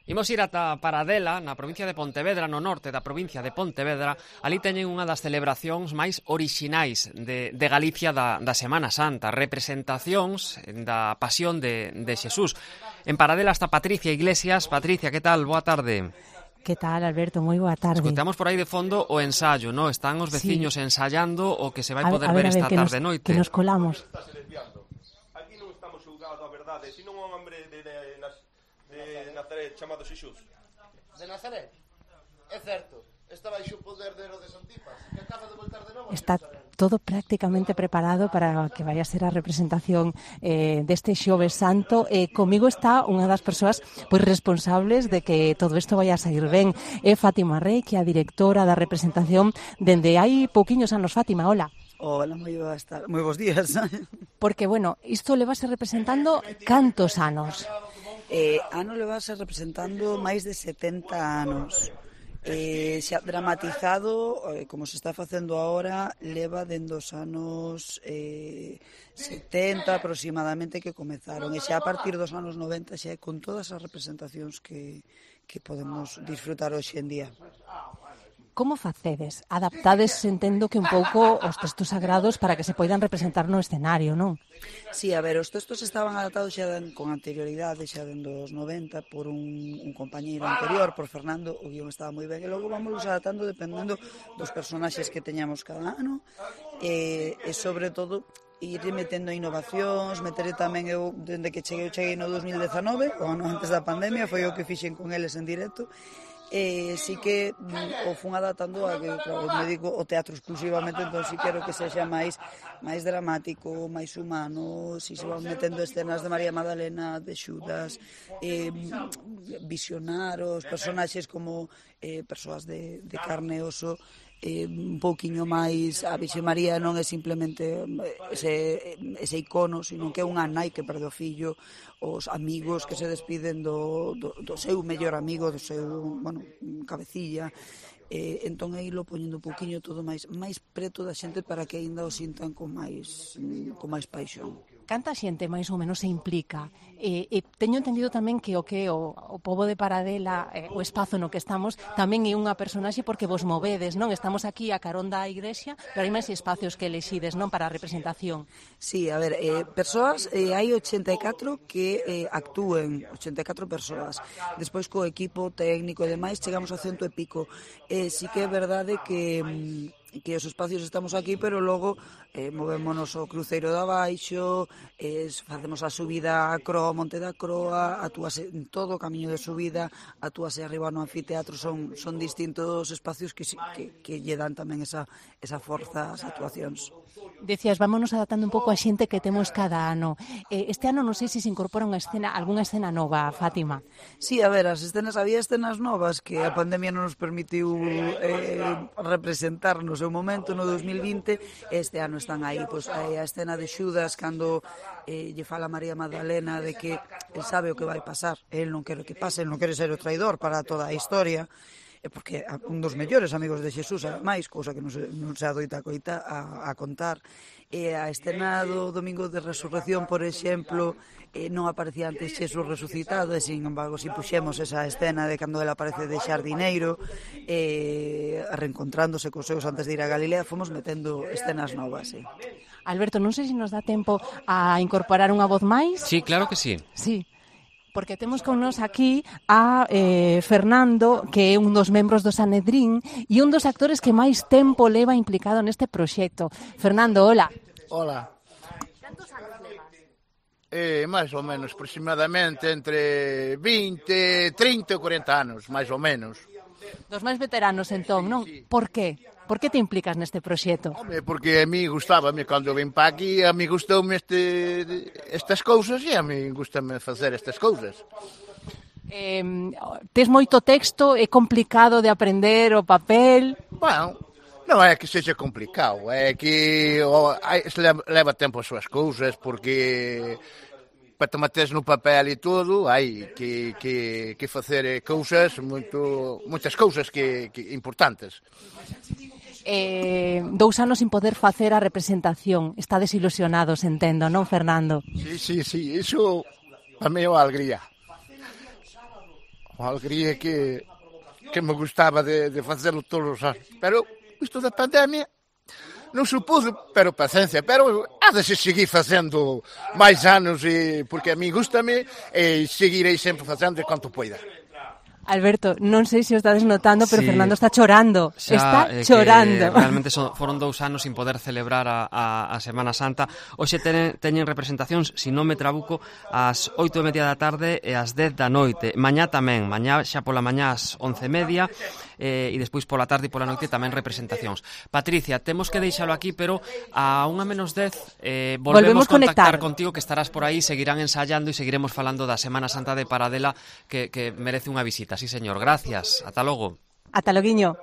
Imos ir ata Paradela, na provincia de Pontevedra, no norte da provincia de Pontevedra. Ali teñen unha das celebracións máis orixinais de Galicia da Semana Santa, representacións da Pasión de Xesús. En Paradela está Patricia Iglesias. Patricia, que tal? Boa tarde. Que tal, Alberto? Moi boa tarde. Escoitamos por aí de fondo o ensayo, ¿no? Están os veciños ensayando o que se vai poder ver ver, esta tarde-noite. Que nos colamos. Aquí non estamos xulgado a verdade, sino un hombre de Nazaret chamado Xesús. De Nazaret? É certo. Está baixo o poder de Herodes Antipas, que acaba de voltar de novo. Está todo prácticamente preparado para que vaya a ser a representación deste Xoves Santo. Comigo está unha das persoas pois responsables de que todo isto vaya a sair ben. É Fátima Rey, que é a directora da representación dende hai pouquiños anos. Fátima, hola. Hola, moi bons días. Porque, bueno, isto le vas representando cantos anos? Ano levase representando máis de 70 anos. Xa dramatizado, como se está facendo agora, leva dende os anos 70 aproximadamente que comezaron. E xa a partir dos anos 90 xa é con todas as representacións que podemos disfrutar hoxe en día. Como facedes? Adaptades, entendo que un pouco os textos sagrados para que se poidan representar no escenario, non? Sí, a ver, os textos estaban adaptados xa con anterioridade, xa dende os 90, por un compañeiro anterior, por Fernando, o guión estaba moi ben, e logo vamos adaptando dependendo dos personaxes que teñamos cada ano, e sobre todo ir metendo innovacións, meteré tamén eu, dende que cheguei no 2019, o ano antes da pandemia, foi o que fixen con eles en directo, sí que o fun adaptando a que, claro, me dedico ao teatro exclusivamente, entón sí quero que sexa máis dramático, máis humano, si se van metendo escenas de María Magdalena, de Xudas, visionar os personaxes como persoas de carne e oso, un pouquiño máis. A Virxe María non é simplemente ese icono, sino que é unha nai que perde o fillo, os amigos que se despiden do seu mellor amigo, do seu, cabecilla, entón aí lo poñendo un pouquiño todo máis preto da xente para que aínda o sintan con máis paixón. Canta xente máis ou menos se implica? Teño entendido tamén que o pobo de Paradela, o espazo no que estamos, tamén é unha personaxe porque vos movedes, non? Estamos aquí a carón da igrexa, pero hai máis espacios que elixides, non, para a representación. Sí, a ver, persoas, hai 84 que actúen, 84 persoas. Despois co equipo técnico e demais chegamos a 100 e pico. Sí que é verdade que os espacios estamos aquí, pero logo movémonos ao cruceiro de abaixo, facemos a subida a Croa, Monte da Croa, atúase en todo o camiño de subida, atúase arriba no anfiteatro, son distintos espacios que lle dan tamén esa forza ás actuacións. Decías, vámonos adaptando un pouco a xente que temos cada ano. Este ano non sei se incorpora algunha escena nova, Fátima. Sí, a ver, había escenas novas que a pandemia non nos permitiu representar no seu momento, no 2020, este ano están aí, pois a escena de Xudas, cando lle fala a María Magdalena de que el sabe o que vai pasar, el non quere que pase, el non quere ser o traidor para toda a historia, porque é un dos mellores amigos de Xesús, ademais, cousa que non se adoita a contar. A escena do Domingo de Resurrección, por exemplo, non aparecía antes Xesús resucitado, e sin embargo, si puxemos esa escena de cando ele aparece de xardineiro, reencontrándose cos seus antes de ir a Galilea, fomos metendo escenas novas, sí. Alberto, non sei se nos dá tempo a incorporar unha voz máis. Sí, claro que sí. Sí. Porque temos con nos aquí a Fernando, que é un dos membros do Sanedrín e un dos actores que máis tempo leva implicado neste proxecto. Fernando, hola. Hola. Cantos anos levas? Máis ou menos, aproximadamente entre 20, 30 ou 40 anos, máis ou menos. Dos máis veteranos, entón, non? Sí. Por qué? Por que te implicas neste proxecto? Home, porque a mí gustábame, cando vim pa aquí, a mí gustoume estas cousas e a mí gustame facer estas cousas. Tes moito texto, é complicado de aprender o papel? Bueno, non é que sexa complicado, é que leva tempo as súas cousas, porque para te metes no papel e todo, hai que facer moitas cousas que importantes. 2 anos sin poder facer a representación. Estades ilusionados, entendo, non, Fernando? Sí, iso Para mí é unha alegría. Unha alegría que me gustaba de facelo todos os anos. Pero isto da pandemia non supuso, pero paciencia, pero há de se seguir facendo máis anos, porque a mí gustame e seguirei sempre facendo quanto poida. Alberto, non sei se o estades notando, pero Sí. Fernando está chorando. Está chorando. Realmente foron 2 anos sin poder celebrar a Semana Santa. Hoxe teñen representacións, se non me trabuco, ás 8:30 da tarde e ás 10 da noite. Mañá tamén, mañá xa pola mañá ás 11:30 e despois pola tarde e pola noite tamén representacións. Patricia, temos que deixalo aquí, pero a 1:10 volvemos contactar contigo, que estarás por aí, seguirán ensayando e seguiremos falando da Semana Santa de Paradela, que merece unha visita. Sí, señor. Gracias. Ata logo. Ata loguiño.